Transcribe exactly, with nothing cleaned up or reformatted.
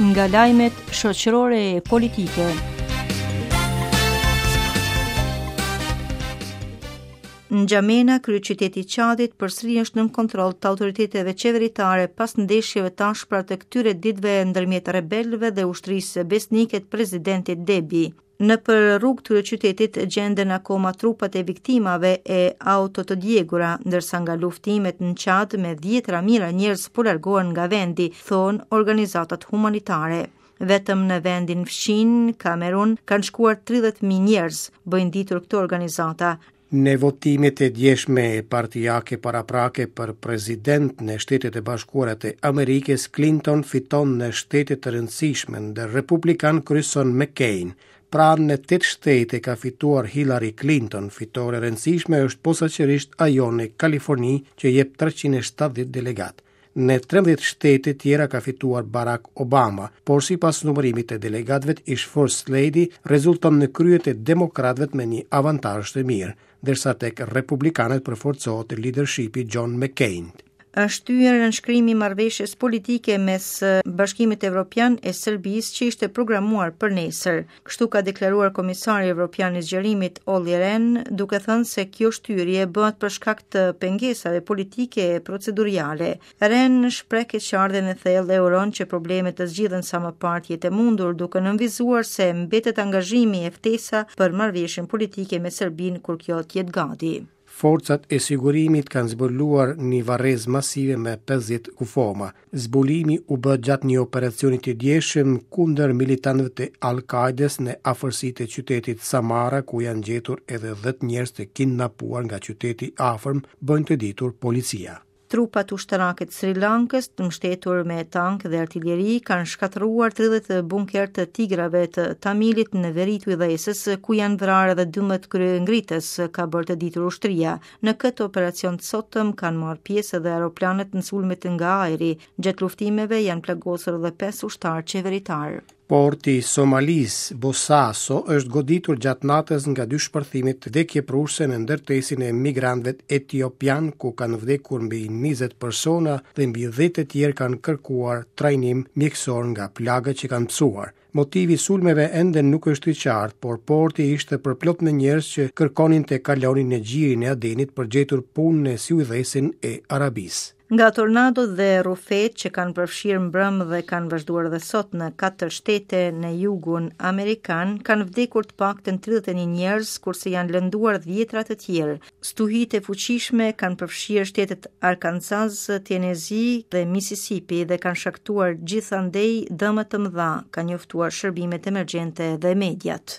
Nga lajmet shoqërore e politike. N'Xhamena, kryeqyteti i Çadit, përsëri është nën kontroll të autoriteteve qeveritare pas ndeshjeve të ashpra të këtyre ditëve ndërmjet rebelëve dhe ushtrisë besnike të presidentit Debi. Nëpër rrugë të kryeqytetit gjenden akoma trupat e viktimave e auto të djegura, ndërsa nga luftimet në Çad me dhjetëra mijëra njerëz po largohen nga vendi, thonë organizatat humanitare. Vetëm në vendin fqinj, Kamerun, kanë shkuar tridhjetë mijë njerëz, bëjnë ditur këto organizata. Në votimet e djeshme partiake paraprake për president në Shtetet e Bashkuara të Amerikës, Clinton fiton në shtete të rëndësishme, ndër republikan kryeson McCain. Pra në tetë shtete ka fituar Hillary Clinton, fitore e rëndësishme është posaçërisht ajo në Kaliforni që jep treqind e shtatëdhjetë delegat. Në trembëdhjetë shtete tjera ka fituar Barack Obama, por sipas numërimit të delegatëve, ish First Lady rezulton në krye të demokratëve me një avantazh të mirë, ndërsa tek republikanët përforcohet leadershipi John McCain. Është shtyrë nënshkrimi i marrëveshjes politike mes Bashkimit Evropian e Serbisë që ishte programuar për nesër. Kështu ka deklaruar Komisari Evropian i Zgjerimit Olli Rehn, duke thënë se kjo shtyrje bëhet për shkak të pengesave politike e proceduriale. Rehn shpreh keqardhjen e thellë e uron që problemet të zgjidhen sa më parë të jetë e mundur, duke nënvizuar se mbetet angazhimi e ftesa për marrëveshjen politike me Serbinë kur kjo të jetë gati. Forcat e sigurimit kanë zbuluar një varrez masive me pesëdhjetë kufoma. Zbulimi u bë gjatë një operacioni të djeshëm kundër militantëve të Al-Qaedes në afërsi të qytetit Samara, ku janë gjetur edhe dhjetë njerëz të kidnapuar nga qyteti i afërm, bëjnë të ditur policia. Trupat ushtarake të Sri Lankës, të mbështetur me tank dhe artilleri, kanë shkatërruar tridhjetë bunker të tigrave të Tamilit në veri të Ujdhesës, ku janë vrarë edhe dymbëdhjetë kryengritës, ka bërë të ditur ushtria. Në këtë operacion të sotëm kanë marrë pjesë edhe aeroplanët në sulmet nga ajri. Gjatë luftimeve janë plagosur edhe pesë ushtarë qeveritar. Porti i Somalisë, Bosaso, është goditur gjatë natës nga dy shpërthime vdekjeprurëse në ndërtesin e migrantëve etiopian, ku kanë vdekur mbi njëzet persona dhe mbi dhjetë të tjerë kanë kërkuar trajnim mjekësor nga plagët që kanë pësuar. Motivi i sulmeve ende nuk është i qartë, por porti ishte përplot me njerëz që kërkonin të kalonin në gjirin e Adenit për gjetur punë në siujdhesin e Arabisë. Nga tornadot dhe rrufet që kanë përfshirë mbrëmë dhe kanë vazhduar edhe sot në katër shtete në jugun amerikan, kanë vdekur të paktën tridhjetë e një njerëz, kurse janë lënduar dhjetra të tjerë. Stuhitë e fuqishme kanë përfshirë shtetet Arkansas, Tennessee dhe Mississippi dhe kanë shkaktuar gjithandej dëme të mëdha, kanë njoftuar shërbimet emergjente dhe mediat.